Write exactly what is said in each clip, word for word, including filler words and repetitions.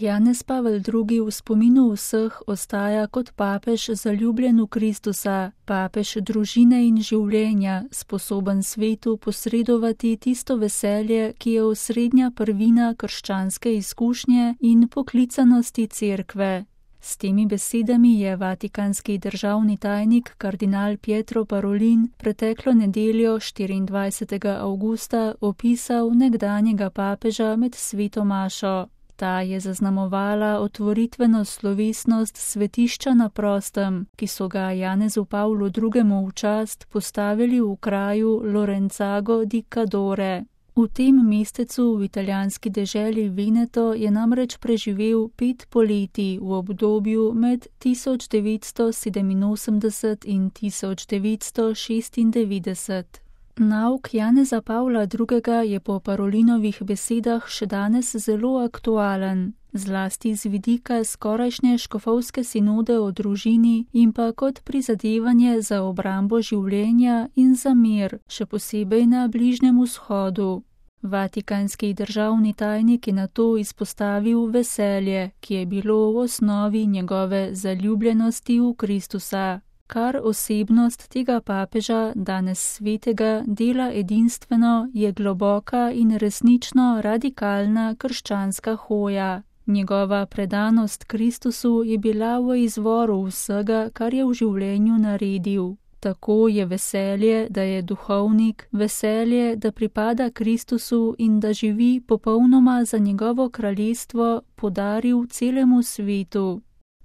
Janez Pavel drugi v spominu vseh ostaja kot papež zaljubljen v Kristusa, papež družine in življenja, sposoben svetu posredovati tisto veselje, ki je osrednja prvina krščanske izkušnje in poklicanosti cerkve. S temi besedami je vatikanski državni tajnik kardinal Pietro Parolin preteklo nedeljo štiriindvajsetega avgusta opisal nekdanjega papeža med sveto mašo. Ta je zaznamovala otvoritveno slovesnost svetišča na prostem, ki so ga Janezu Pavlu drugemu v čast postavili v kraju Lorenzago di Cadore. V tem mestecu v italijanski deželi Veneto je namreč preživel pet poletij v obdobju med tisoč devetsto sedeminosemdeset in tisoč devetsto šestindevetdeset. Nauk Janeza Pavla drugega je po Parolinovih besedah še danes zelo aktualen, zlasti z vidika skorajšnje škofovske sinode o družini in pa kot prizadevanje za obrambo življenja in za mir, še posebej na Bližnjem vzhodu. Vatikanski državni tajnik je nato izpostavil veselje, ki je bilo v osnovi njegove zaljubljenosti v Kristusa. Kar osebnost tega papeža, danes svetega, dela edinstveno, je globoka in resnično radikalna krščanska hoja. Njegova predanost Kristusu je bila v izvoru vsega, kar je v življenju naredil. Tako je veselje, da je duhovnik, veselje, da pripada Kristusu in da živi popolnoma za njegovo kraljestvo, podaril celemu svetu.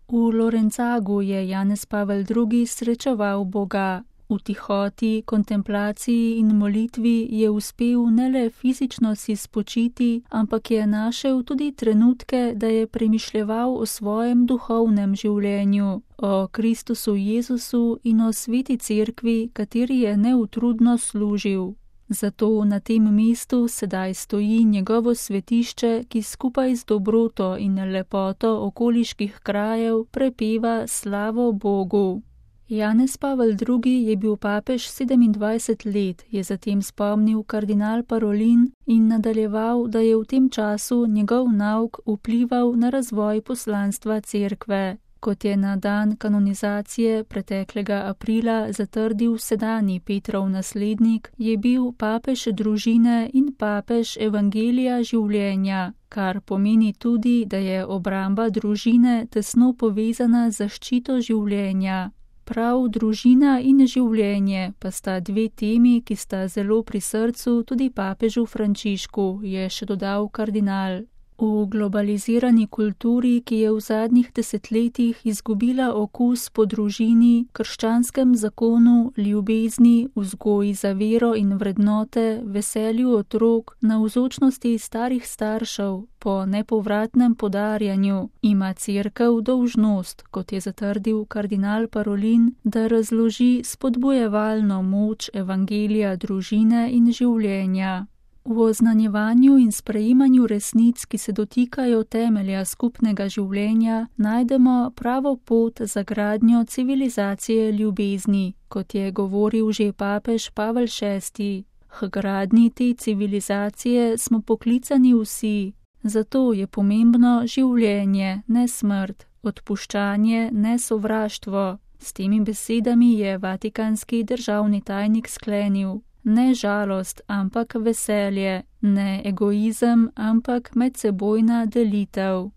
V Lorenzagu je Janez Pavel drugi srečeval Boga. V tihoti, kontemplaciji in molitvi je uspel ne le fizično si spočiti, ampak je našel tudi trenutke, da je premišljeval o svojem duhovnem življenju, o Kristusu Jezusu in o sveti cerkvi, kateri je neutrudno služil. Zato na tem mestu sedaj stoji njegovo svetišče, ki skupaj z dobroto in lepoto okoliških krajev prepeva slavo Bogu. Janez Pavel drugi je bil papež sedemindvajset let, je zatem spomnil kardinal Parolin in nadaljeval, da je v tem času njegov nauk vplival na razvoj poslanstva cerkve. Kot je na dan kanonizacije preteklega aprila zatrdil sedanji Petrov naslednik, je bil papež družine in papež evangelija življenja, kar pomeni tudi, da je obramba družine tesno povezana z zaščito življenja. Prav družina in življenje pa sta dve temi, ki sta zelo pri srcu tudi papežu Frančišku, je še dodal kardinal. V globalizirani kulturi, ki je v zadnjih desetletjih izgubila okus po družini, krščanskem zakonu, ljubezni, vzgoji za vero in vrednote, veselju otrok, navzočnosti starih staršev, po nepovratnem podarjanju, ima cerkev dolžnost, kot je zatrdil kardinal Parolin, da razloži spodbujevalno moč evangelija družine in življenja. V oznanjevanju in sprejemanju resnic, ki se dotikajo temelja skupnega življenja, najdemo pravo pot za gradnjo civilizacije ljubezni, kot je govoril že papež Pavel šesti. H gradnji te civilizacije smo poklicani vsi, zato je pomembno življenje, ne smrt, odpuščanje, ne sovraštvo. S temi besedami je vatikanski državni tajnik sklenil: ne žalost, ampak veselje, ne egoizem, ampak medsebojna delitev.